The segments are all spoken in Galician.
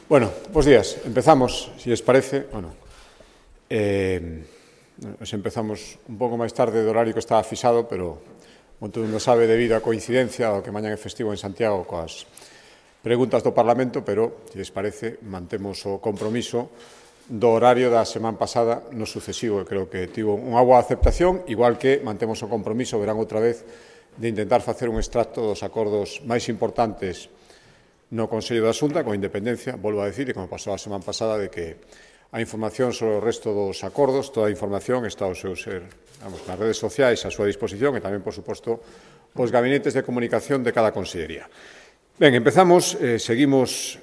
Bueno, bos días. Empezamos, si les parece. Empezamos un pouco máis tarde do horario que estaba fixado, pero, como todo mundo sabe, debido á coincidencia do que mañan é festivo en Santiago coas preguntas do Parlamento, pero, si les parece, mantemos o compromiso do horario da semana pasada no sucesivo, que creo que tivo unha boa aceptación, igual que mantemos o compromiso, verán outra vez, de intentar facer un extracto dos acordos máis importantes no Consello da Xunta, con independencia, volvo a decir, e como pasou a semana pasada, de que a información sobre o resto dos acordos, toda a información está ao seu ser, nas redes sociais, a súa disposición, e tamén, por suposto, os gabinetes de comunicación de cada consellería. Ben, empezamos, seguimos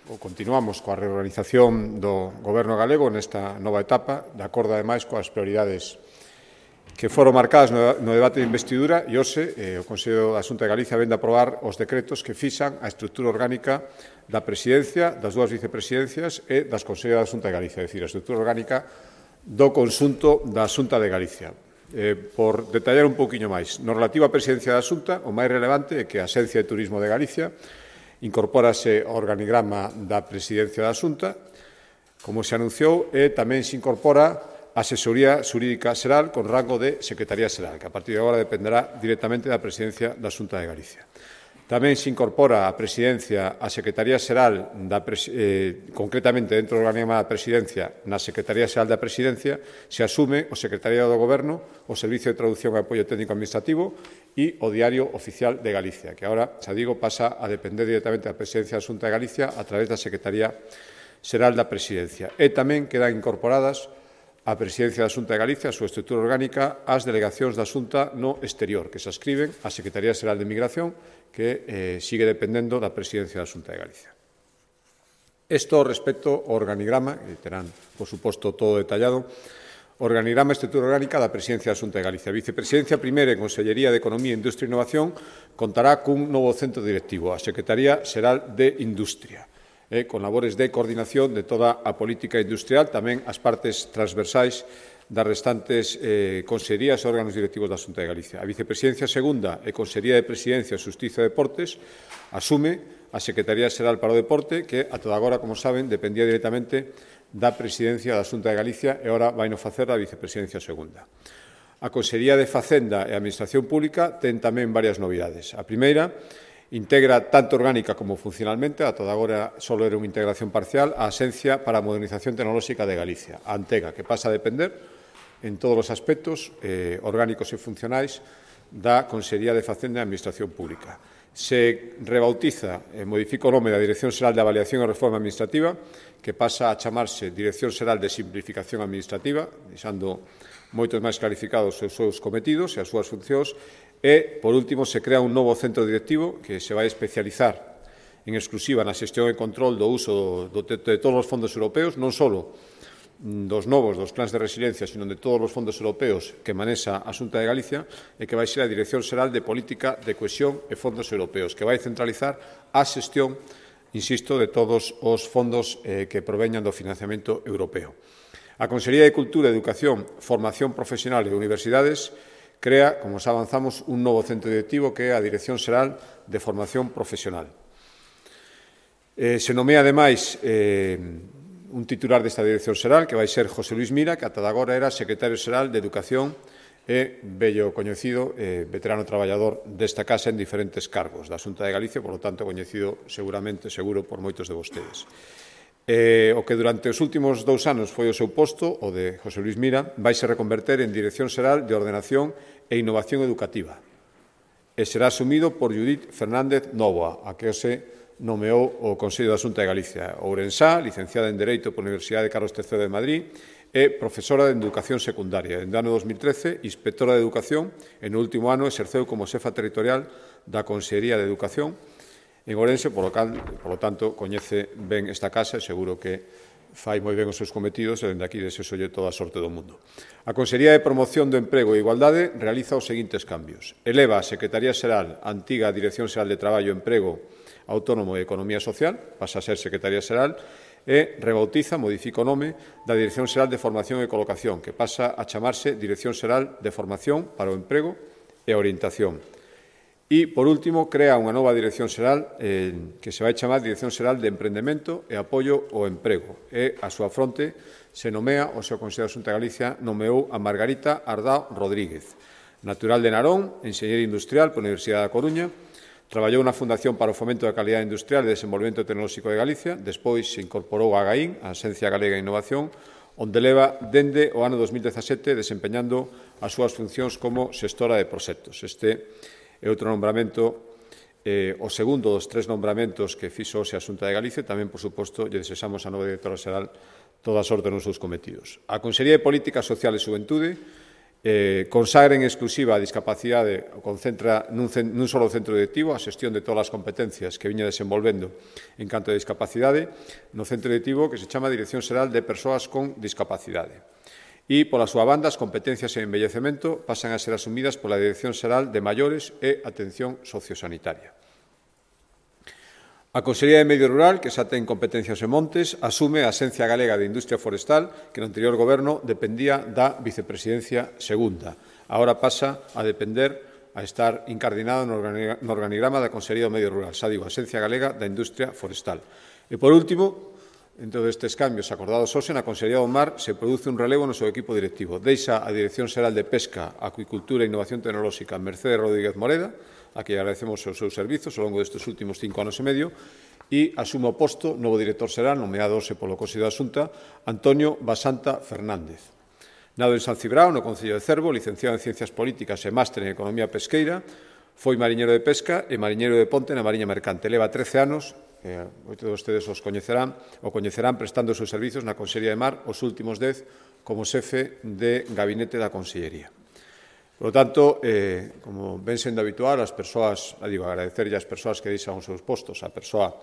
ou continuamos coa reorganización do Goberno galego nesta nova etapa, de acordo, ademais, coas prioridades que foron marcadas no debate de investidura e hoxe o Consello da Xunta de Galicia vén de aprobar os decretos que fixan a estrutura orgánica da presidencia, das dúas vicepresidencias e das Consellos da Xunta de Galicia, é dicir, a estrutura orgánica do conxunto da Xunta de Galicia. Por detallar un pouquiño máis, no relativo á presidencia da Xunta, o máis relevante é que a Axencia de Turismo de Galicia incorpórase ao organigrama da presidencia da Xunta, como se anunciou, e tamén se incorpora a Asesoría Xurídica Xeral con rango de Secretaría Xeral, que a partir de agora dependerá directamente da Presidencia da Xunta de Galicia. Tamén se incorpora a Presidencia a Secretaría Xeral, concretamente dentro do organigrama da Presidencia, na Secretaría Xeral da Presidencia, se asume o Secretariado do Goberno, o Servicio de Traducción e Apoio Técnico Administrativo e o Diario Oficial de Galicia, que agora, xa digo, pasa a depender directamente da Presidencia da Xunta de Galicia a través da Secretaría Xeral da Presidencia. E tamén quedan incorporadas a Presidencia da Xunta de Galicia, a súa estrutura orgánica, as delegacións da Xunta no exterior, que se adscriben á Secretaría Xeral de Migración, que sigue dependendo da Presidencia da Xunta de Galicia. Isto respecto ao organigrama, que terán, por suposto, todo detallado, organigrama e estrutura orgánica da Presidencia da Xunta de Galicia. A Vicepresidencia Primeira e Consellería de Economía, Industria e Innovación contará cun novo centro directivo, a Secretaría Xeral de Industria, con labores de coordinación de toda a política industrial, tamén as partes transversais das restantes consellerías e órganos directivos da Xunta de Galicia. A Vicepresidencia Segunda e Consellería de Presidencia, Xustiza e Deportes asume a Secretaría Xeral para o Deporte, que ata agora, como saben, dependía directamente da Presidencia da Xunta de Galicia e agora vai no facer a Vicepresidencia Segunda. A Consellería de Facenda e Administración Pública ten tamén varias novidades. A primeira, integra tanto orgánica como funcionalmente, ata agora só era unha integración parcial, a Axencia para a Modernización Tecnolóxica de Galicia, a Antega, que pasa a depender en todos os aspectos orgánicos e funcionais da Consellería de Facenda e Administración Pública. Se rebautiza e modifica o nome da Dirección Xeral de Avaliación e Reforma Administrativa, que pasa a chamarse Dirección Xeral de Simplificación Administrativa, deixando moitos máis clarificados os seus cometidos e as súas funcións. E, por último, se crea un novo centro directivo que se vai especializar en exclusiva na xestión e control do uso de todos os fondos europeos, non só dos novos, dos plans de resiliencia, sino de todos os fondos europeos que manexa a Xunta de Galicia, e que vai ser a Dirección Xeral de Política de Cohesión e Fondos Europeos, que vai centralizar a xestión, insisto, de todos os fondos que proveñan do financiamento europeo. A Consellería de Cultura, Educación, Formación Profesional e Universidades crea, como xa avanzamos, un novo centro directivo que é a Dirección Xeral de Formación Profesional. Se nomea, ademais, un titular desta Dirección Xeral, que vai ser José Luis Mira, que ata agora era Secretario Xeral de Educación e vello coñecido, veterano traballador desta casa en diferentes cargos da Xunta de Galicia, por lo tanto, coñecido seguro por moitos de vostedes. O que durante os últimos 2 anos foi o seu posto, o de José Luis Mira, vaise reconverter en Dirección Xeral de Ordenación e Innovación Educativa e será asumido por Judith Fernández Nóvoa, a que se nomeou o Consello da Xunta de Galicia. Ourensá, licenciada en Dereito pola Universidade Carlos III de Madrid e profesora de Educación Secundaria. En ano 2013, inspectora de Educación e no último ano exerceu como xefa territorial da Consellería de Educación en Ourense, polo tanto, coñece ben esta casa e seguro que fai moi ben os seus cometidos e dende aquí desexolle toda a sorte do mundo. A Consellería de Promoción do Emprego e Igualdade realiza os seguintes cambios. Eleva a Secretaría Xeral, a antiga Dirección Xeral de Traballo, Emprego, Autónomo e Economía Social, pasa a ser Secretaría Xeral, e rebautiza, modifica o nome da Dirección Xeral de Formación e Colocación, que pasa a chamarse Dirección Xeral de Formación para o Emprego e Orientación. E, por último, crea unha nova Dirección Xeral que se vai chamar Dirección Xeral de Emprendemento e Apoio ao Emprego. E, a súa fronte, se nomea, o seu Consello da Xunta de Galicia nomeou a Margarita Ardao Rodríguez, natural de Narón, enxeñeira industrial pola Universidade da Coruña, traballou na Fundación para o Fomento da Calidade Industrial e Desenvolvemento Tecnolóxico de Galicia, despois se incorporou a AGAIN, a Axencia Galega de Innovación, onde leva dende o ano 2017 desempeñando as súas funcións como xestora de proxectos. Este é outro nombramento, o segundo dos 3 nombramentos que fixo hoxe a Xunta de Galicia. Tamén, por suposto, lle desexamos a nova directora xeral toda a sorte nos seus cometidos. A Consellería de Política Social e Xuventude consagra en exclusiva a discapacidade, concentra nun solo centro directivo a xestión de todas as competencias que viña desenvolvendo en canto a discapacidade no centro directivo que se chama Dirección Xeral de Persoas con Discapacidade. E, pola súa banda, as competencias en envellecemento pasan a ser asumidas pola Dirección Xeral de Maiores e Atención Sociosanitaria. A Consellería de Medio Rural, que xa ten competencias en montes, asume a Axencia Galega de Industria Forestal, que no anterior goberno dependía da Vicepresidencia Segunda. Agora pasa a depender, a estar incardinado no organigrama da Consellería do Medio Rural, xa digo, a Axencia Galega da Industria Forestal. E, por último, en todos estes cambios acordados hoxe, na Consellería do Mar se produce un relevo no seu equipo directivo. Deixa a Dirección Xeral de Pesca, Acuicultura e Innovación Tecnolóxica Mercedes Rodríguez Moreda, a que agradecemos os seus servizos ao longo destes últimos 5 anos e medio, e asume o posto novo director xeral, nomeado hoxe polo Consello da Xunta, Antonio Basanta Fernández. Nado en San Cibrao, no Concello de Cervo, licenciado en Ciencias Políticas e máster en Economía Pesqueira, foi mariñeiro de pesca e mariñeiro de ponte na Mariña Mercante. Leva 13 anos, moitos de vostedes o coñecerán prestando os seus servizos na Consellería de Mar os últimos 10 como xefe de gabinete da Consellería. Por lo tanto, como ven sendo habitual, as persoas, agradecerlle ás persoas que deixan os seus postos, a persoa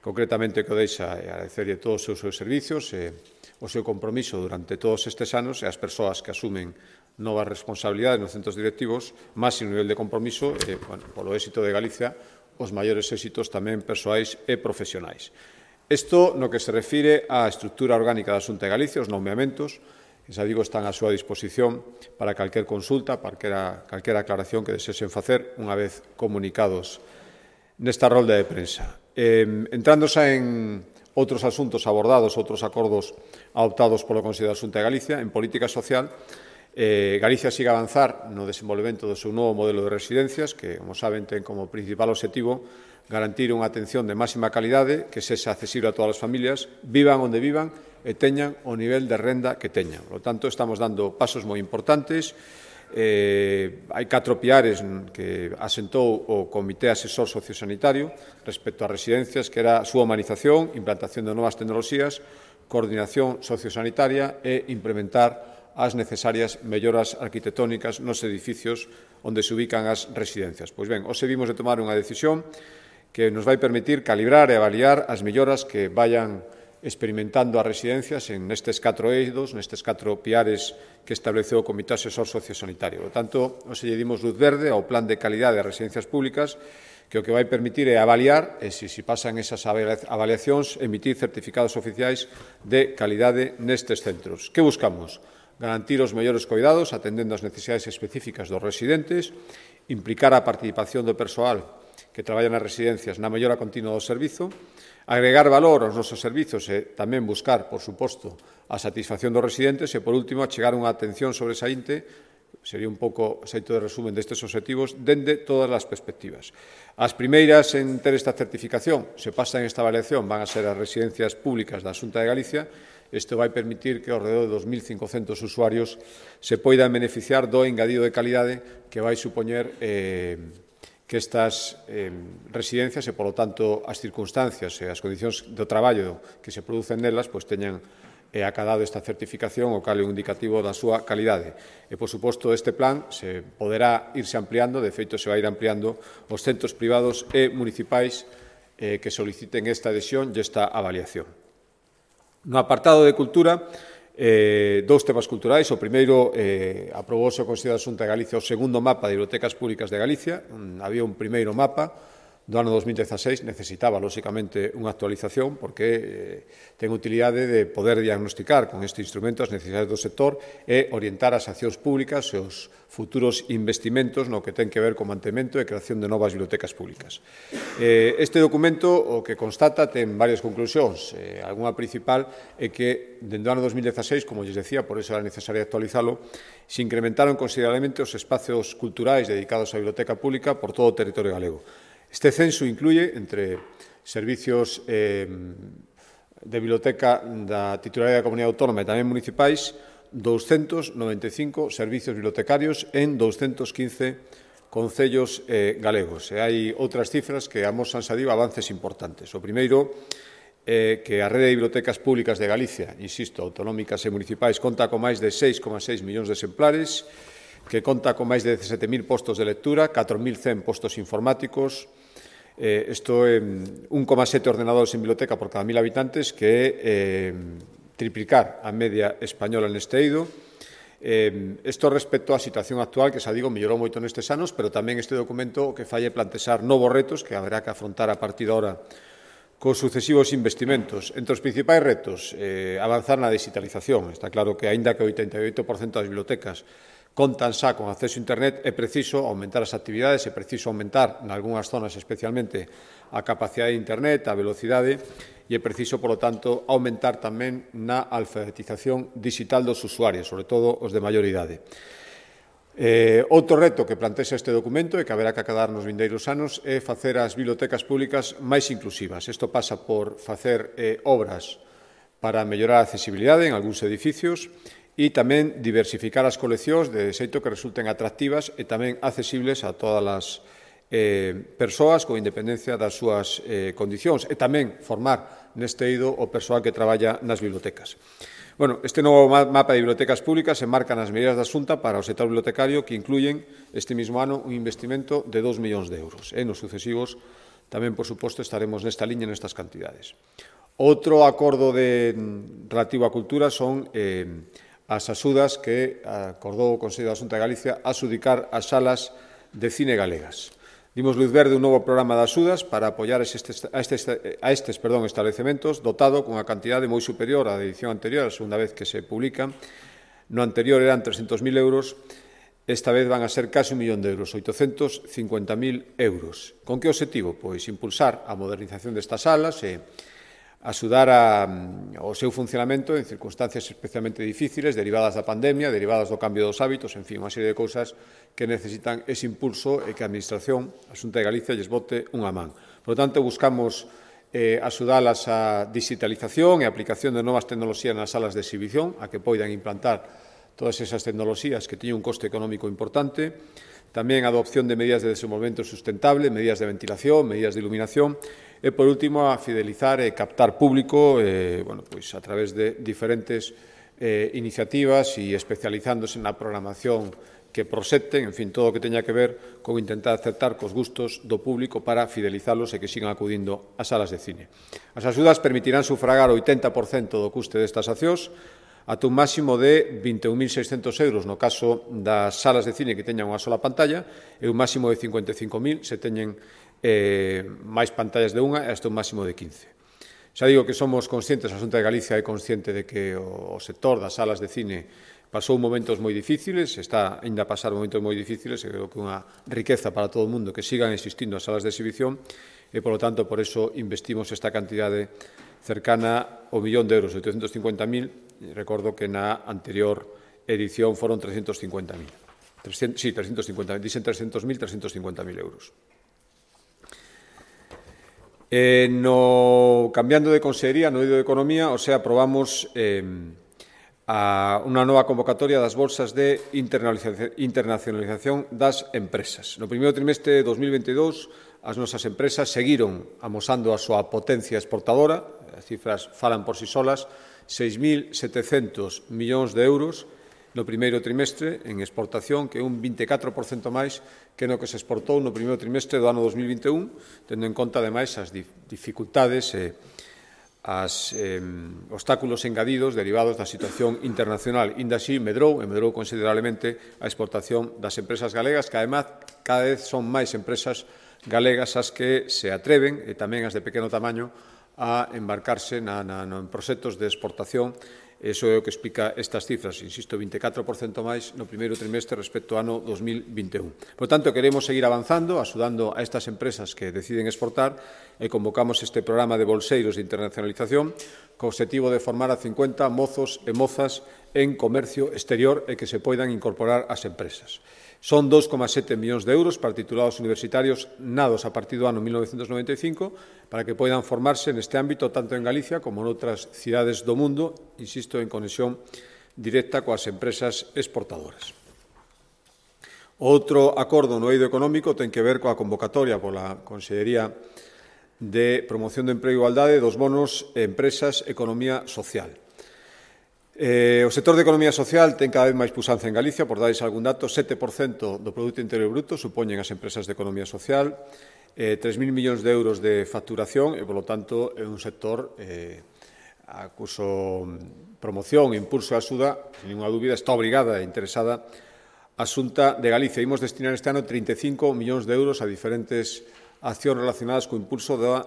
concretamente que o deixa, agradecerlle todos os seus servizos, o seu compromiso durante todos estes anos e as persoas que asumen novas responsabilidades nos centros directivos, máis en nivel de compromiso, polo éxito de Galicia, os maiores éxitos tamén persoais e profesionais. Isto no que se refire á estrutura orgánica da Xunta de Galicia, os nomeamentos, que xa digo están á súa disposición para calquer consulta, para calquera aclaración que desexen facer unha vez comunicados nesta rolda de prensa. Entrando xa en outros asuntos abordados, outros acordos adoptados polo Consello da Xunta de Galicia, en política social, Galicia sigue a avanzar no desenvolvemento do seu novo modelo de residencias, que, como saben, ten como principal obxectivo garantir unha atención de máxima calidade que sexa accesible a todas as familias, vivan onde vivan e teñan o nivel de renda que teñan. Por lo tanto, estamos dando pasos moi importantes. Hai 4 piares que asentou o Comité Asesor Sociosanitario respecto ás residencias, que era a súa humanización, implantación de novas tecnoloxías, coordinación sociosanitaria e implementar as necesarias melloras arquitectónicas nos edificios onde se ubican as residencias. Pois ben, hoxe vimos de tomar unha decisión que nos vai permitir calibrar e avaliar as melloras que vayan experimentando as residencias en nestes 4 eidos, nestes 4 piares que estableceu o Comité Asesor Sociosanitario. Por tanto, hoxe lle dimos luz verde ao Plan de Calidade das Residencias Públicas, que o que vai permitir é avaliar, e se pasan esas avaliacións, emitir certificados oficiais de calidade nestes centros. Que buscamos? Garantir os mellores coidados, atendendo as necesidades específicas dos residentes, implicar a participación do persoal que traballa nas residencias na mellora continua do servizo, agregar valor aos nosos servizos e tamén buscar, por suposto, a satisfacción dos residentes e, por último, achegar unha atención sobresaínte, sería un pouco xeito de resumen destes obxectivos, dende todas as perspectivas. As primeiras en ter esta certificación, se pasan esta avaliación, van a ser as residencias públicas da Xunta de Galicia. Isto vai permitir que ao redor de 2.500 usuarios se poidan beneficiar do engadido de calidade que vai supoñer que estas residencias e, polo tanto, as circunstancias e as condicións do traballo que se producen nelas teñan acadado esta certificación, o cal é un indicativo da súa calidade. E, por suposto, este plan se poderá irse ampliando, de feito, se vai ir ampliando os centros privados e municipais que soliciten esta adhesión e esta avaliación. No apartado de cultura, 2 temas culturais. O primeiro, aprobouse o Consello da Xunta de Galicia o segundo mapa de bibliotecas públicas de Galicia. Había un primeiro mapa do ano 2016 necesitaba, lóxicamente, unha actualización porque ten utilidade de poder diagnosticar con este instrumento as necesidades do sector e orientar as accións públicas e os futuros investimentos no que ten que ver co mantemento e creación de novas bibliotecas públicas. Este documento o que constata ten varias conclusións. Algunha principal é que, dende o ano 2016, como lles decía, por iso era necesario actualizalo, se incrementaron considerablemente os espacios culturais dedicados á biblioteca pública por todo o territorio galego. Este censo incluye, entre servicios de biblioteca da titularidade da Comunidade Autónoma e tamén municipais, 295 servicios bibliotecarios en 215 concellos galegos. E hai outras cifras que amosan, xa digo, avances importantes. O primeiro é que a rede de bibliotecas públicas de Galicia, insisto, autonómicas e municipais, conta con máis de 6,6 millóns de exemplares, que conta con máis de 17.000 postos de lectura, 4.100 postos informáticos, isto é 1,7 ordenadores en biblioteca por cada 1.000 habitantes, que é triplicar a media española neste eido. Isto respecto á situación actual, que, xa digo, mellorou moito nestes anos, pero tamén este documento o que fai é plantexar novos retos que haberá que afrontar a partir de ahora cos sucesivos investimentos. Entre os principais retos, avanzar na digitalización. Está claro que, aínda que o 88% das bibliotecas contan xa con acceso a internet, é preciso aumentar as actividades, é preciso aumentar, nalgúnas zonas especialmente, a capacidade de internet, a velocidade, e é preciso, polo tanto, aumentar tamén na alfabetización digital dos usuarios, sobre todo os de maior idade. Outro reto que plantexa este documento e que haberá que acadar nos vindeiros anos é facer as bibliotecas públicas máis inclusivas. Isto pasa por facer obras para mellorar a accesibilidade en algúns edificios e tamén diversificar as coleccións de xeito que resulten atractivas e tamén accesibles a todas as persoas con independencia das súas condicións e tamén formar neste eido o persoal que traballa nas bibliotecas. Este novo mapa de bibliotecas públicas enmarca nas medidas da Xunta para o sector bibliotecario que incluyen este mismo ano un investimento de 2 millóns de euros. Nos sucesivos tamén, por suposto, estaremos nesta liña nestas cantidades. Outro acordo relativo á cultura son as axudas que acordou o Consello da Xunta de Galicia a adxudicar as salas de cine galegas. Dimos luz verde un novo programa de axudas para apoiar a estes establecementos dotado cunha cantidade moi superior á da edición anterior, a segunda vez que se publican. No anterior eran 300.000 euros, esta vez van a ser case 1 millón de euros, 850.000 euros. Con que obxectivo? Pois impulsar a modernización destas salas e axudar ao seu funcionamento en circunstancias especialmente difíciles, derivadas da pandemia, derivadas do cambio dos hábitos, en fin, unha serie de cousas que necesitan ese impulso e que a Administración, a Xunta de Galicia, lles bote unha man. Por lo tanto, buscamos axudalas a digitalización e a aplicación de novas tecnoloxías nas salas de exhibición, a que poidan implantar todas esas tecnoloxías que teñen un coste económico importante, tamén a adopción de medidas de desenvolvemento sustentable, medidas de ventilación, medidas de iluminación, e, por último, a fidelizar e captar público a través de diferentes iniciativas e especializándose na programación que proxecten, en fin, todo o que teña que ver con intentar acertar cos gustos do público para fidelizalos e que sigan acudindo ás salas de cine. As axudas permitirán sufragar o 80% do custe destas accións ata un máximo de 21.600 euros no caso das salas de cine que teñan unha sola pantalla e un máximo de 55.000 se teñen máis pantallas de unha e hasta un máximo de 15. Xa digo que somos conscientes, a Xunta de Galicia é consciente de que o sector das salas de cine pasou momentos moi difíciles, está ainda a pasar momentos moi difíciles e creo que é unha riqueza para todo o mundo que sigan existindo as salas de exhibición e, por lo tanto, por eso investimos esta cantidade cercana ao 1 millón de euros, 850.000, recordo que na anterior edición foron 350.000. Sí, 350.000, dicen 300.000, 350.000 euros. Cambiando de consellería, no eido de Economía, aprobamos unha nova convocatoria das bolsas de internacionalización das empresas. No primeiro trimestre de 2022, as nosas empresas seguiron amosando a súa potencia exportadora, as cifras falan por si solas, 6.700 millóns de euros no primeiro trimestre en exportación, que é un 24% máis que no que se exportou no primeiro trimestre do ano 2021, tendo en conta, ademais, as dificultades e os obstáculos engadidos derivados da situación internacional. Inda así, medrou considerablemente a exportación das empresas galegas, que, ademais, cada vez son máis empresas galegas as que se atreven, e tamén as de pequeno tamaño, a embarcarse en proxectos de exportación. Iso é o que explica estas cifras, insisto, 24% máis no primeiro trimestre respecto ao ano 2021. Por tanto, queremos seguir avanzando, axudando a estas empresas que deciden exportar e convocamos este programa de bolseiros de internacionalización co objetivo de formar a 50 mozos e mozas en comercio exterior e que se poidan incorporar ás empresas. Son 2,7 millóns de euros para titulados universitarios nados a partir do ano 1995 para que poidan formarse neste ámbito tanto en Galicia como en outras cidades do mundo, insisto, en conexión directa coas empresas exportadoras. Outro acordo no eido económico ten que ver coa convocatoria pola Consellería de Promoción do Emprego e Igualdade dos bonos Empresas Economía Social. O sector de economía social ten cada vez máis puxanza en Galicia, por darles algún dato, 7% do Produto Interior Bruto supoñen as empresas de economía social, 3.000 millóns de euros de facturación e, polo tanto, é un sector a cuso promoción e impulso e axuda, sin ninguna dúbida, está obrigada e interesada a Xunta de Galicia. Imos destinar este ano 35 millóns de euros a diferentes accións relacionadas co impulso da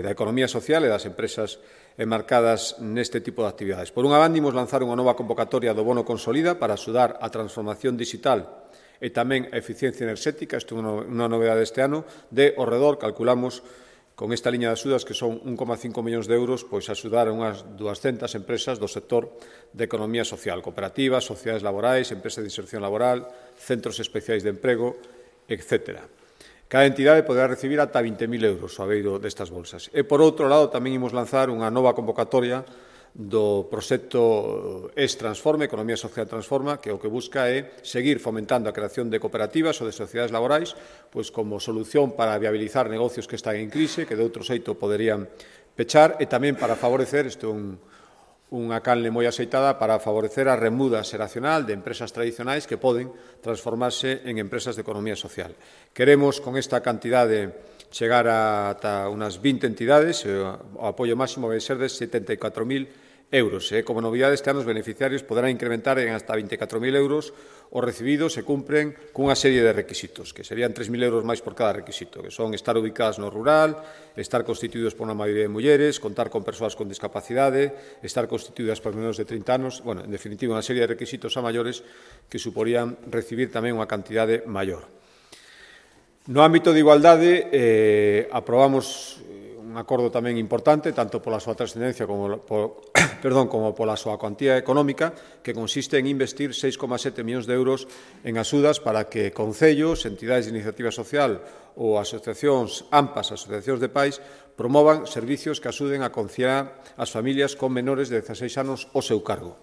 economía social e das empresas enmarcadas neste tipo de actividades. Por unha banda, imos lanzar unha nova convocatoria do Bono Consolida para axudar a transformación digital e tamén a eficiencia enerxética, isto é unha novedade deste ano, de ao redor, calculamos, con esta liña de axudas, que son 1,5 millóns de euros, pois axudar a unhas 200 empresas do sector de economía social, cooperativas, sociedades laborais, empresas de inserción laboral, centros especiais de emprego, etcétera. Cada entidade poderá recibir ata 20.000 euros ao abeiro destas bolsas. E, por outro lado, tamén imos lanzar unha nova convocatoria do proxecto Transforma, Economía Social Transforma, que o que busca é seguir fomentando a creación de cooperativas ou de sociedades laborais, pois como solución para viabilizar negocios que están en crise, que de outro xeito poderían pechar, e tamén para favorecer, isto é unha canle moi aceitada, para favorecer a remuda xeracional de empresas tradicionais que poden transformarse en empresas de economía social. Queremos, con esta cantidade, chegar ata unhas 20 entidades, o apoio máximo vai ser de 74.000 euros. Como novidade, este ano os beneficiarios poderán incrementar en hasta 24.000 euros os recibidos e cumpren cunha serie de requisitos, que serían 3.000 euros máis por cada requisito, que son estar ubicadas no rural, estar constituídos por unha maioría de mulleres, contar con persoas con discapacidade, estar constituídas por menos de 30 anos, en definitiva, unha serie de requisitos a maiores que suporían recibir tamén unha cantidade maior. No ámbito de igualdade, aprobamos un acordo tamén importante, tanto pola súa trascendencia como pola súa cuantía económica, que consiste en investir 6,7 millóns de euros en axudas para que concellos, entidades de iniciativa social ou asociacións AMPAs, asociacións de pais, promovan servicios que axuden a conciliar as familias con menores de 16 anos ao seu cargo.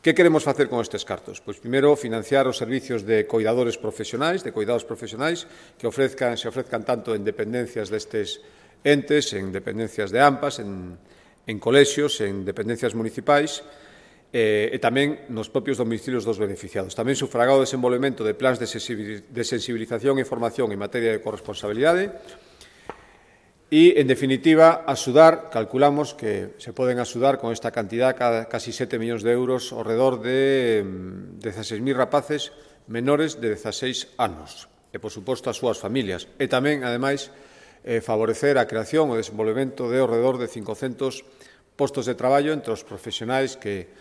Que queremos facer con estes cartos? Pois, primeiro, financiar os servicios de cuidados profesionais que se ofrezcan tanto en dependencias destes entes, en dependencias de AMPAs, en colexios, en dependencias municipais e tamén nos propios domicilios dos beneficiados. Tamén sufragar o desenvolvemento de plans de sensibilización e formación en materia de corresponsabilidade e, en definitiva, axudar, calculamos que se poden axudar con esta cantidad, casi 7 millóns de euros, ao redor de 16.000 rapaces menores de 16 anos e, por suposto, as súas familias. E tamén, ademais, favorecer a creación e o desenvolvemento de ao redor de 500 postos de traballo entre os profesionais que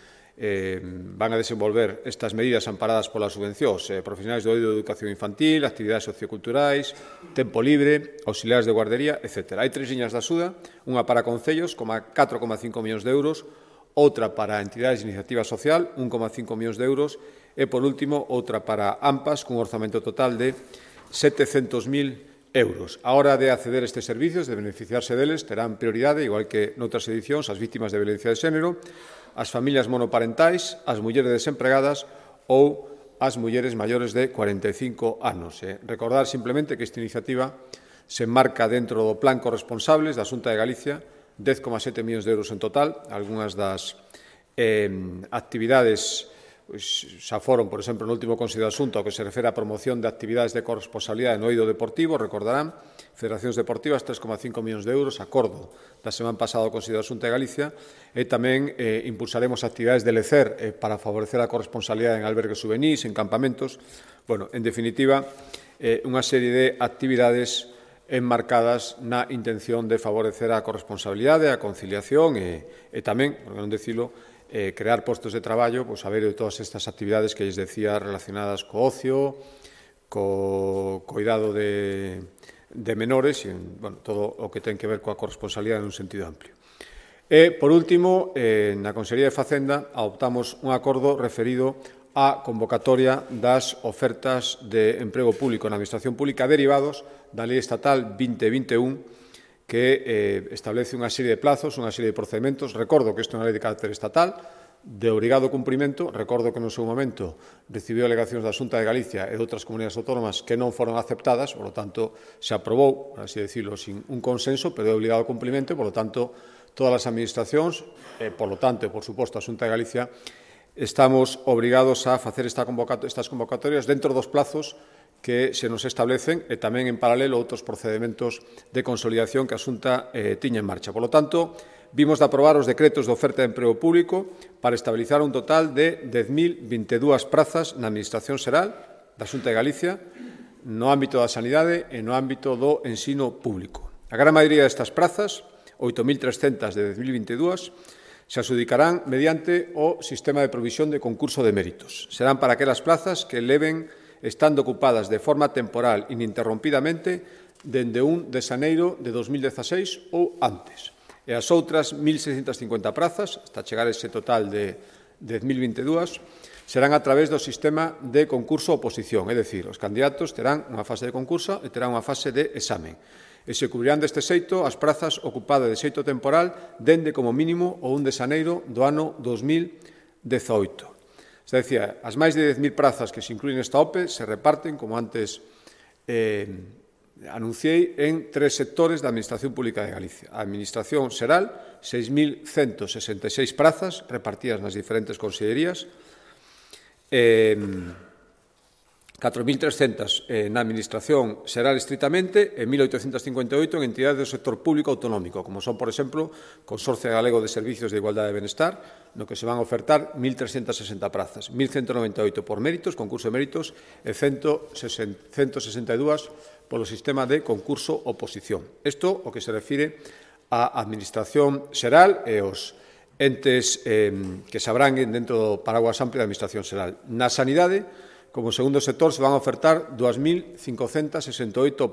van a desenvolver estas medidas amparadas polas subvencións, profesionais do eido de educación infantil, actividades socioculturais, tempo libre, auxiliares de guardería, etc. Hai 3 liñas de axuda, unha para concellos, 4,5 millóns de euros, outra para entidades de iniciativa social, 1,5 millóns de euros, e, por último, outra para AMPAs, cun orzamento total de 700.000 euros. A hora de acceder a estes servicios, de beneficiarse deles, terán prioridade, igual que noutras edicións, as vítimas de violencia de xénero, as familias monoparentais, as mulleres desempregadas ou as mulleres maiores de 45 anos. Recordar simplemente que esta iniciativa se enmarca dentro do Plan Corresponsables da Xunta de Galicia, 10,7 millóns de euros en total. Algúnas das actividades xa foron, por exemplo, no último Consello de Asunto, ao que se refere á promoción de actividades de corresponsabilidade no eido deportivo, recordarán, federacións deportivas, 3,5 millóns de euros, acordo da semana pasada ao Consello de Asunto de Galicia, e tamén impulsaremos actividades de lecer para favorecer a corresponsabilidade en albergues juvenís, en campamentos, en definitiva, unha serie de actividades enmarcadas na intención de favorecer a corresponsabilidade, a conciliación e tamén, por non dicilo, crear postos de traballo, pois, a ver de todas estas actividades que lles decía relacionadas co ocio, co cuidado de menores e, bueno, todo o que ten que ver coa corresponsabilidade nun sentido amplio. E, por último, na Consellería de Facenda adoptamos un acordo referido á convocatoria das ofertas de emprego público na Administración Pública derivados da Lei Estatal 2021 que establece unha serie de plazos, unha serie de procedementos. Recordo que isto é unha lei de carácter estatal, de obrigado cumprimento. Recordo que no seu momento recibiu alegacións da Xunta de Galicia e de outras comunidades autónomas que non foron aceptadas, por lo tanto, se aprobou, por así decirlo, sin un consenso, pero de obligado cumprimento, e, por lo tanto, todas as administracións, e, por lo tanto, por suposto, a Xunta de Galicia, estamos obrigados a facer estas convocatorias dentro dos plazos que se nos establecen e tamén en paralelo outros procedementos de consolidación que a Xunta tiña en marcha. Por lo tanto, vimos de aprobar os decretos de oferta de emprego público para estabilizar un total de 10.022 prazas na Administración Xeral da Xunta de Galicia no ámbito da sanidade e no ámbito do ensino público. A gran maioría destas prazas, 8.300 de 2022, se adjudicarán mediante o sistema de provisión de concurso de méritos. Serán para aquelas plazas que leven estando ocupadas de forma temporal ininterrompidamente dende 1 de xaneiro de 2016 ou antes. E as outras 1.650 prazas, hasta chegar a ese total de 10.022, serán a través do sistema de concurso-oposición, é dicir, os candidatos terán unha fase de concurso e terán unha fase de examen. E se cubrirán deste xeito as prazas ocupadas de xeito temporal dende como mínimo o 1 de xaneiro do ano 2018. Se decía, as máis de 10.000 prazas que se incluyen nesta OPE se reparten, como antes anunciei, en 3 sectores da Administración Pública de Galicia. A Administración Xeral, 6.166 prazas repartidas nas diferentes consellerías, 4.300 na Administración Xeral estritamente e 1.858 en entidades do sector público autonómico, como son, por exemplo, Consorcio Galego de Servicios de Igualdade e Benestar, no que se van a ofertar 1.360 prazas, 1.198 por méritos, concurso de méritos, e 162 polo sistema de concurso-oposición. Isto o que se refire á Administración Xeral e os entes que se abranguen dentro do paraguas amplio da Administración Xeral. Na sanidade, como segundo sector, se van a ofertar 2.568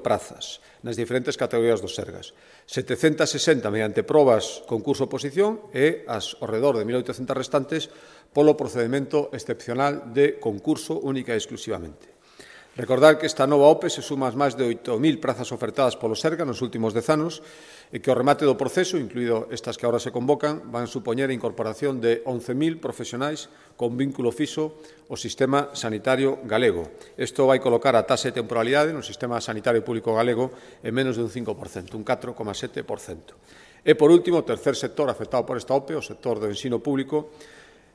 prazas nas diferentes categorías dos Sergas. 760 mediante probas, concurso-oposición e as ao redor de 1.800 restantes polo procedimento excepcional de concurso única e exclusivamente. Recordar que esta nova OPE se suma as máis de 8.000 prazas ofertadas polo Serga nos últimos 10 anos e que o remate do proceso, incluído estas que agora se convocan, van supoñer a incorporación de 11.000 profesionais con vínculo fixo ao sistema sanitario galego. Isto vai colocar a taxa de temporalidade no sistema sanitario público galego en menos de un 5%, un 4,7%. E, por último, o tercer sector afectado por esta OPE, o sector do ensino público,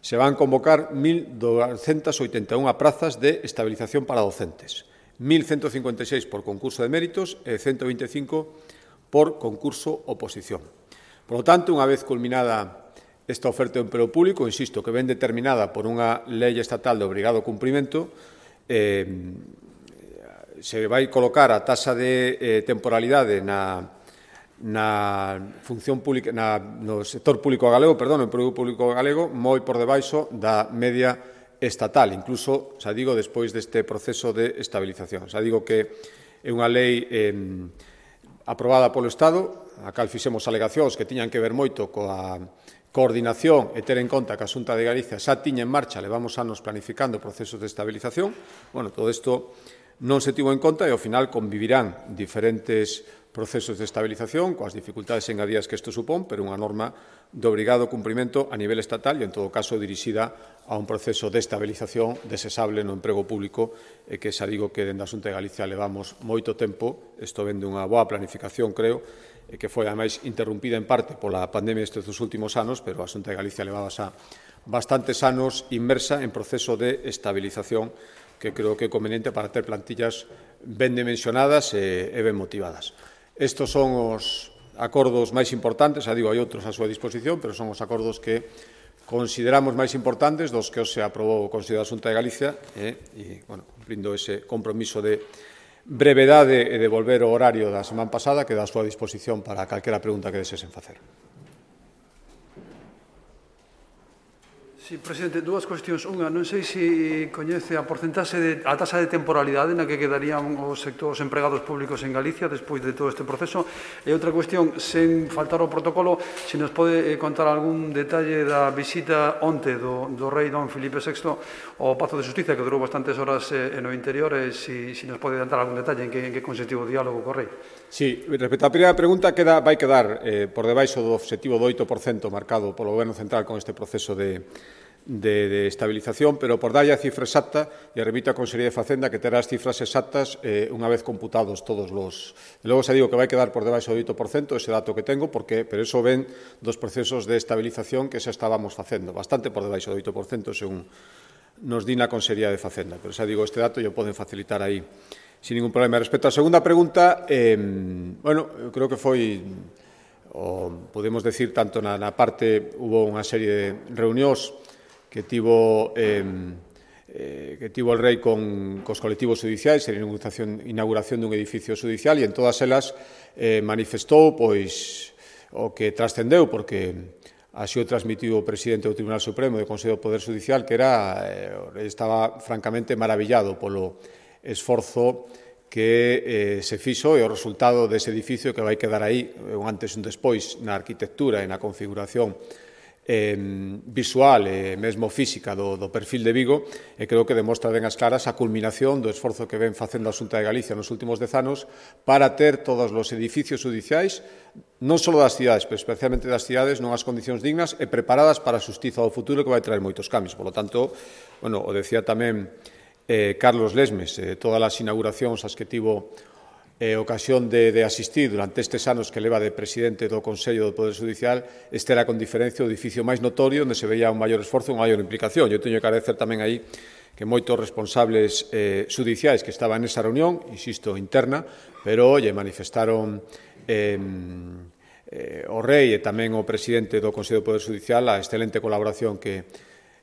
se van convocar 1.281 prazas de estabilización para docentes, 1.156 por concurso de méritos e 125 por concurso-oposición. Por lo tanto, unha vez culminada esta oferta de emprego público, insisto, que ven determinada por unha lei estatal de obrigado cumprimento, se vai colocar a taxa de temporalidade na función pública, no sector público galego, no emprego público galego, moi por debaixo da media estatal, incluso, xa digo, despois deste proceso de estabilización. Xa digo que é unha lei aprobada polo Estado, a cal fixemos alegacións que tiñan que ver moito coa coordinación e ter en conta que a Xunta de Galicia xa tiña en marcha, levamos anos planificando procesos de estabilización. Bueno, todo isto non se tivo en conta e, ao final, convivirán diferentes procesos de estabilización coas dificultades engadías que isto supón, pero unha norma de obrigado cumprimento a nivel estatal e, en todo caso, dirixida a un proceso de estabilización desesable no emprego público e que xa digo que dende a Xunta de Galicia levamos moito tempo. Isto ven dunha boa planificación, creo, e que foi, ademais, interrumpida en parte pola pandemia estes dos últimos anos, pero a Xunta de Galicia levaba xa bastantes anos inmersa en proceso de estabilización que creo que é conveniente para ter plantillas ben dimensionadas e ben motivadas. Estes son os acordos máis importantes, xa digo, hai outros a súa disposición, pero son os acordos que consideramos máis importantes dos que se aprobou o Consello da Xunta de Galicia e, bueno, cumprindo ese compromiso de brevedade e devolver o horario da semana pasada, que dá a súa disposición para calquera pregunta que desesen facer. Sí, presidente, dúas cuestións. Unha, non sei se coñece a taxa de temporalidade na que quedarían os empregados públicos en Galicia despois de todo este proceso. E outra cuestión, sen faltar ao protocolo, se nos pode contar algún detalle da visita onte do rei don Filipe VI ao Pazo de Xustiza, que durou bastantes horas no interior, e se nos pode dar algún detalle en que consistiu o diálogo co rei. Sí, respecto á primeira pregunta, vai quedar por debaixo do obxectivo do 8% marcado polo Goberno Central con este proceso de estabilización, pero por darlle a cifra exacta, e remito a Consellería de Facenda que terá as cifras exactas unha vez computados todos os... E logo se digo que vai quedar por debaixo do 8%, ese dato que tengo, pero iso ven dos procesos de estabilización que xa estábamos facendo, bastante por debaixo do 8%, según nos di na Consellería de Facenda, pero xa digo, este dato yo poden facilitar aí sin ningún problema. Respecto á segunda pregunta, bueno, eu creo que foi, podemos decir, tanto na parte, hubo unha serie de reunións que tivo el rei cos colectivos judiciais en inauguración dun edificio judicial, e en todas elas manifestou pois o que trascendeu, porque así o transmitiu o presidente do Tribunal Supremo do Consello do Poder Judicial, que estaba francamente maravillado polo esforzo que se fixo e o resultado dese edificio que vai quedar aí un antes e un despois na arquitectura e na configuración visual e mesmo física do perfil de Vigo, e creo que demostra ben as claras a culminación do esforzo que ven facendo a Xunta de Galicia nos últimos 10 anos para ter todos os edificios judiciais, non só das cidades, pero especialmente das cidades, nunhas condicións dignas e preparadas para a xustiza do futuro, que vai traer moitos cambios. Por lo tanto, bueno, o decía tamén Carlos Lesmes, todas as inauguracións as que tivo ocasión de asistir durante estes anos que leva de presidente do Consello do Poder Judicial, este era con diferencia o edificio máis notorio, onde se veía un maior esforzo, unha maior implicación. Eu teño que agradecer tamén aí que moitos responsables judiciais que estaban nesa reunión, insisto, interna, pero manifestaron o rei e tamén o presidente do Consello do Poder Judicial a excelente colaboración que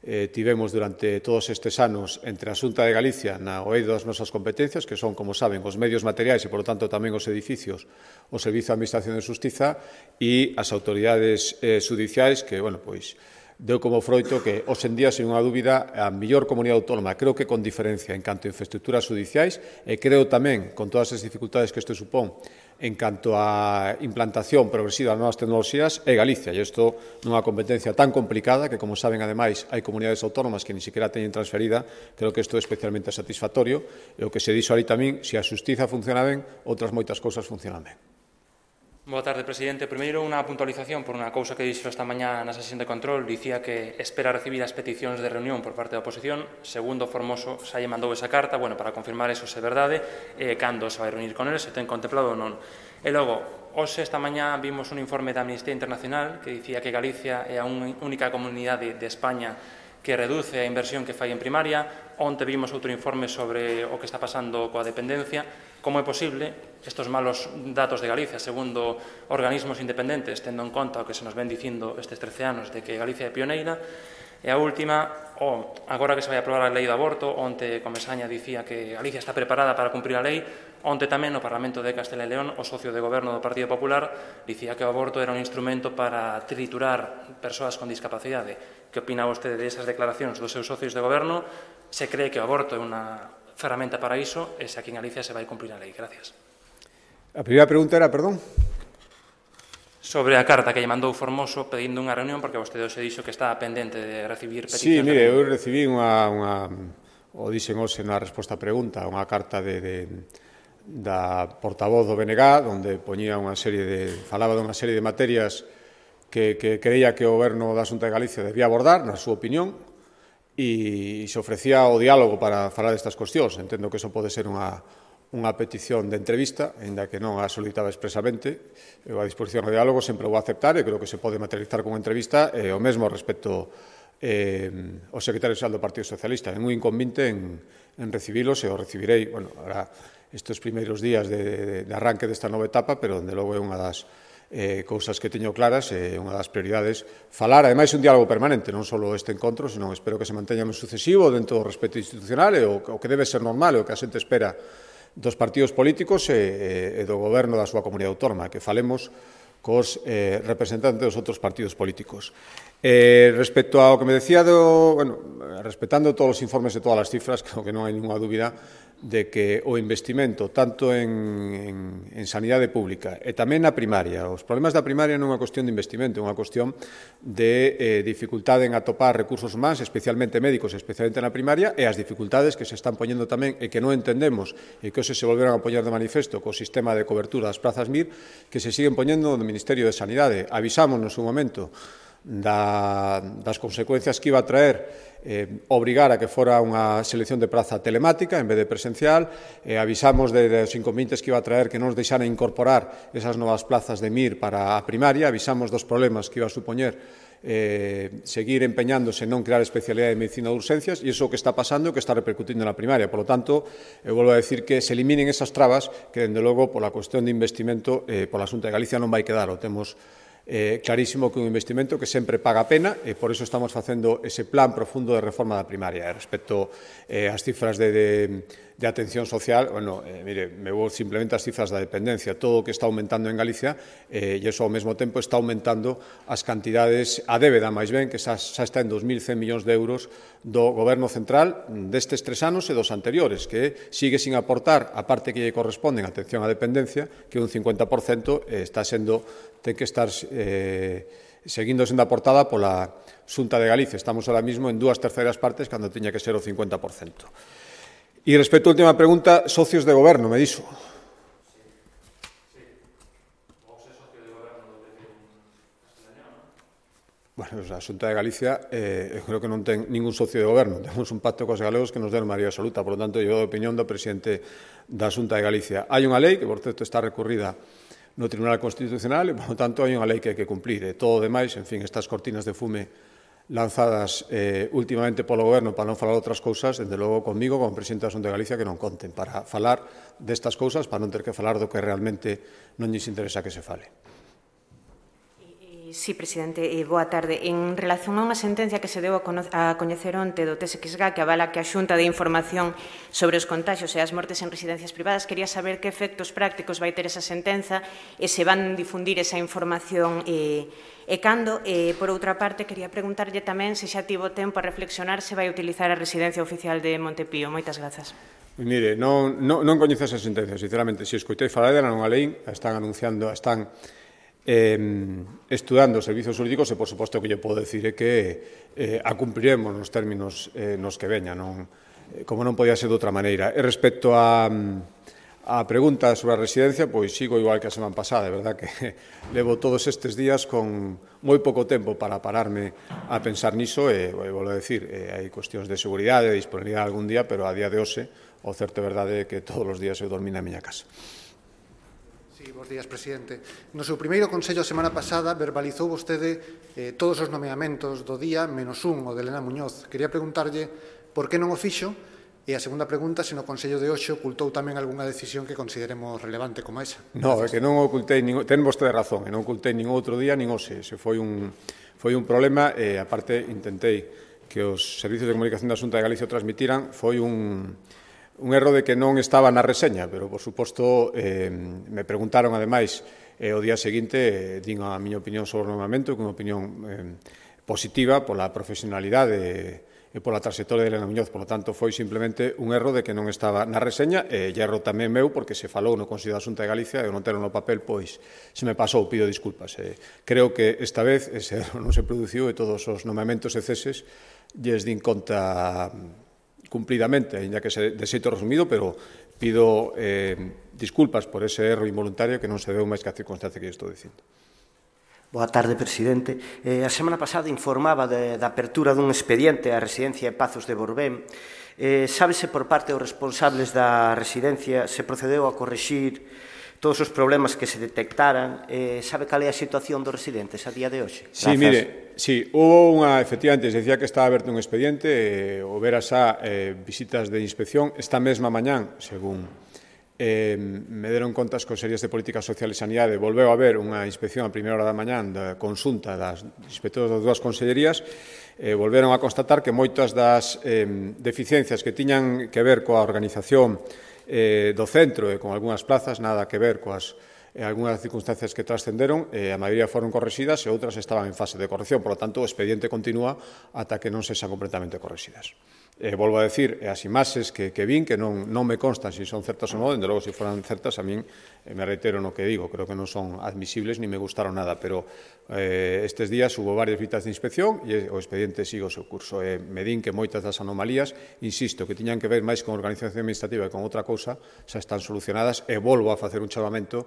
tivemos durante todos estes anos entre a Xunta de Galicia na oído das nosas competencias, que son, como saben, os medios materiais e, por lo tanto, tamén os edificios, o Servizo de Administración de Xustiza e as autoridades judiciais que, bueno, pois, deu como froito que, hoxe en día, sen unha dúbida, a mellor comunidade autónoma, creo que con diferencia en canto a infraestructuras judiciais, e creo tamén, con todas as dificultades que isto supón, en canto a implantación progresiva das novas tecnoloxías, é Galicia. E isto nunha competencia tan complicada que, como saben, ademais, hai comunidades autónomas que ni siquiera teñen transferida, creo que isto é especialmente satisfactorio, e o que se dixo ali tamén, se a xustiza funciona ben, outras moitas cousas funcionan ben. Boa tarde, presidente. Primeiro, unha puntualización por unha cousa que dixo esta mañá na sesión de control. Dicía que espera recibir as peticións de reunión por parte da oposición. Segundo, Formoso xa lle mandou esa carta, bueno, para confirmar eso se é verdade, cando se vai reunir con eles, se ten contemplado ou non. E logo, hoxe esta mañá vimos un informe da Amnistía Internacional que dicía que Galicia é a única comunidade de España que reduce a inversión que fai en primaria. Onte vimos outro informe sobre o que está pasando coa dependencia. Como é posible estes malos datos de Galicia, segundo organismos independentes, tendo en conta o que se nos ven dicindo estes 13 anos de que Galicia é pioneira? E a última, agora que se vai aprobar a lei do aborto, onte Comesaña dicía que Galicia está preparada para cumprir a lei, onte tamén no Parlamento de Castela e León, o socio de goberno do Partido Popular dicía que o aborto era un instrumento para triturar persoas con discapacidade. Que opina vostede desas declaracións dos seus socios de goberno? Se cree que o aborto é unha ferramenta para iso, e se aquí en Galicia se vai cumprir a lei? Gracias. A primeira pregunta era, perdón? Sobre a carta que lle mandou Formoso pedindo unha reunión, porque vostede se dixo que estaba pendente de recibir peticións. Sí, mire, eu recibí o dixen hoxe na resposta a pregunta, unha carta da portavoz do BNG, onde poñía falaba dunha serie de materias que creía que o goberno da Xunta de Galicia debía abordar, na súa opinión, e se ofrecía o diálogo para falar destas cuestións. Entendo que eso pode ser unha petición de entrevista, ainda que non a solicitaba expresamente. Eu a disposición ao diálogo sempre vou aceptar e creo que se pode materializar con entrevista, o mesmo respecto ao secretario xeral do Partido Socialista. Ten un inconvinte en recibilos e o recibirei, bueno, ahora estes primeiros días de arranque desta nova etapa, pero, dende logo, é unha das cousas que teño claras, unha das prioridades, falar, ademais, un diálogo permanente, non só este encontro, senón espero que se manteña en sucesivo dentro do respeto institucional e o que debe ser normal e o que a xente espera dos partidos políticos e do goberno da súa comunidade autónoma, que falemos cos representantes dos outros partidos políticos. Respecto ao que me decía, respetando todos os informes e todas as cifras, creo que non hai ninguna dúbida de que o investimento tanto en sanidade pública e tamén na primaria, os problemas da primaria non é unha cuestión de investimento, é unha cuestión de dificultade en atopar recursos humanos, especialmente médicos, especialmente na primaria, e as dificultades que se están poñendo tamén e que non entendemos e que hoxe se volveron a poñer de manifesto co sistema de cobertura das plazas MIR que se siguen poñendo no Ministerio de Sanidade. Avisamos no seu momento das consecuencias que iba a traer obrigar a que fora unha selección de praza telemática en vez de presencial, avisamos dos inconvenientes que iba a traer que non nos deixaran incorporar esas novas plazas de MIR para a primaria, avisamos dos problemas que iba a supoñer seguir empeñándose en non crear especialidade de medicina de urgencias, e iso que está pasando e que está repercutindo na primaria. Por lo tanto, eu volvo a decir que se eliminen esas trabas que, dende logo, pola cuestión de investimento, pola Xunta de Galicia non vai quedar, o temos clarísimo que un investimento que sempre paga a pena e por iso estamos facendo ese plan profundo de reforma da primaria. Respecto ás cifras de atención social, mire, me vou simplemente ás cifras da dependencia, todo o que está aumentando en Galicia e iso ao mesmo tempo está aumentando as cantidades, a débeda máis ben, que xa está en 2.100 millóns de euros do Goberno central destes 3 anos e dos anteriores, que sigue sin aportar a parte que lle corresponde en atención á dependencia, que un 50% ten que estar seguindo sendo aportada pola Xunta de Galicia. Estamos ahora mismo en 2/3 partes cando tiña que ser o 50%. E respecto á última pregunta, socios de goberno, me dixo. Bueno, a Xunta de Galicia creo que non ten ningún socio de goberno. Temos un pacto cos galegos que nos den maioría absoluta. Por lo tanto, eu dou a opinión do presidente da Xunta de Galicia. Hai unha lei que, por certo, está recurrida no Tribunal Constitucional e, por lo tanto, hai unha lei que hai que cumplir. E todo o demais, en fin, estas cortinas de fume lanzadas últimamente polo Goberno para non falar outras cousas, desde logo comigo, como presidente da Xunta de Galicia, que non conten para falar destas cousas, para non ter que falar do que realmente non lles interesa que se fale. Sí, presidente, boa tarde. En relación a unha sentencia que se deu a coñecer onte do TSXG que avala que a Xunta de Información sobre os contagios e as mortes en residencias privadas, quería saber que efectos prácticos vai ter esa sentenza e se van difundir esa información e cando. Por outra parte, quería preguntarlle tamén se xa tivo tempo a reflexionar se vai utilizar a residencia oficial de Montepío. Moitas grazas. Mire, non coñezo esa sentencia, sinceramente. Se escoitei falar dela, non a leín, están anunciando, están estudando os servizos jurídicos e, por suposto, que lle podo decir é que a cumpriremos nos términos nos que veña, como non podía ser de outra maneira. E respecto a pregunta sobre a residencia, pois sigo igual que a semana pasada, de verdad que levo todos estes días con moi pouco tempo para pararme a pensar niso e, volvo a decir, hai cuestións de seguridade, de disponibilidade algún día, pero a día de hoxe, o certo é verdade que todos os días eu dormí na miña casa. Sí, bons días, presidente. No seu primeiro consello a semana pasada verbalizou vostede todos os nomeamentos do día, menos un, o de Elena Muñoz. Quería preguntarlle por que non o fixo e a segunda pregunta, se no consello de hoxe ocultou tamén algunha decisión que consideremos relevante como esa. Non, é que non ocultei, ten vostede razón, non ocultei nin outro día, nin hoxe. Se foi un problema e, aparte, intentei que os servicios de comunicación da Xunta de Galicia o transmitiran. Foi un erro de que non estaba na reseña, pero, por suposto, me preguntaron, ademais, o día seguinte, din a miña opinión sobre o nomeamento, que é unha opinión positiva pola profesionalidade e pola trayectoria de Elena Muñoz. Por lo tanto, foi simplemente un erro de que non estaba na reseña e erro tamén meu, porque se falou no Consello da Xunta de Galicia e non tero no papel, pois se me pasou, pido disculpas. Creo que esta vez ese erro non se produciu e todos os nomeamentos e ceses lles din conta cumplidamente, ainda que se de xeito resumido, pero pido disculpas por ese erro involuntario que non se deu máis que a circunstancia que estou dicindo. Boa tarde, presidente. A semana pasada informaba da apertura dun expediente á residencia de Pazos de Borbén. Sábese por parte dos responsables da residencia se procedeu a corrixir todos os problemas que se detectaran. Sabe cal é a situación dos residentes a día de hoxe? Sí, mire, sí, hubo efectivamente, se decía que estaba aberto un expediente, houbera xa visitas de inspección. Esta mesma mañán, según me deron conta as Consellerías de Política Social e Sanidade, volveu a haber unha inspección a primeira hora da mañán da consulta das inspectores das dúas consellerías. Volveron a constatar que moitas das deficiencias que tiñan que ver coa organización do centro e con algunhas plazas, nada que ver coas algunhas circunstancias que trascenderon, a maioría foron correxidas e outras estaban en fase de corrección. Por lo tanto, o expediente continúa ata que non sexan completamente correxidas. Volvo a decir, as imaxes que vin, que non me constan se son certas ou non, dende logo, se foran certas, a min me reitero no que digo, creo que non son admisibles ni me gustaron nada, pero estes días hubo varias visitas de inspección e o expediente sigue o seu curso. Me din que moitas das anomalías, insisto, que tiñan que ver máis con organización administrativa e con outra cousa, xa están solucionadas e volvo a facer un chamamento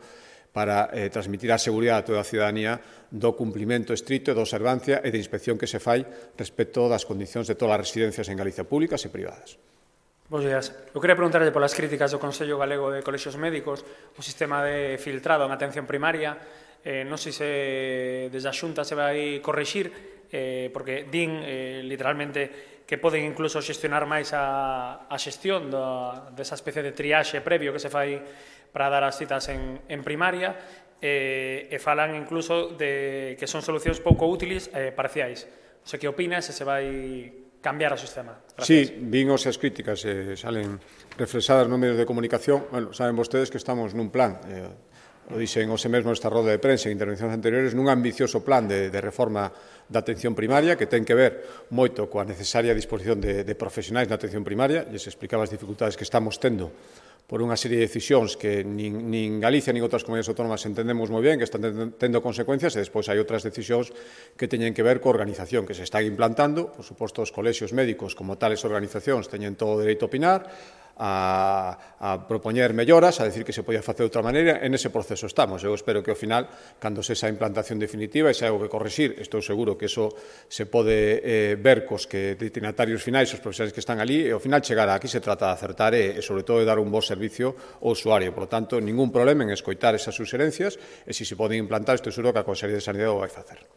para transmitir a seguridade a toda a ciudadanía do cumprimento estrito e da observancia e de inspección que se fai respecto das condicións de todas as residencias en Galicia, públicas e privadas. Bos días. Eu queria preguntarlle polas críticas do Consello Galego de Colexios Médicos o sistema de filtrado en atención primaria. Non sei se desde a Xunta se vai correxir, porque din literalmente que poden incluso xestionar máis a xestión desa especie de triaxe previo que se fai para dar as citas en primaria, e falan incluso de que son solucións pouco útiles parciais. Non sei que opinas se vai cambiar o sistema. Gracias. Sí, vin as críticas, salen reflexadas nos medios de comunicación. Bueno, saben vostedes que estamos nun plan, o dixen hoxe mesmo nesta roda de prensa en intervencións anteriores, nun ambicioso plan de reforma da atención primaria que ten que ver moito coa necesaria disposición de profesionais na atención primaria, e se explicaba as dificultades que estamos tendo por unha serie de decisións que nin Galicia nin outras comunidades autónomas entendemos moi ben, que están tendo consecuencias, e despois hai outras decisións que teñen que ver coa organización que se están implantando. Por suposto, os colexios médicos, como tales organizacións, teñen todo o dereito a opinar, a propoñer melloras, a decir que se podía facer de outra maneira. En ese proceso estamos. Eu espero que ao final, cando se esa implantación definitiva e se hai algo que correxir, estou seguro que eso se pode ver cos que destinatarios finais, os profesionais que están ali, e ao final chegar aquí se trata de acertar e sobre todo de dar un bo servicio ao usuario. Por lo tanto, ningún problema en escoitar esas suxerencias, e se se poden implantar, estou seguro que a Consellería de Sanidade o vai facer.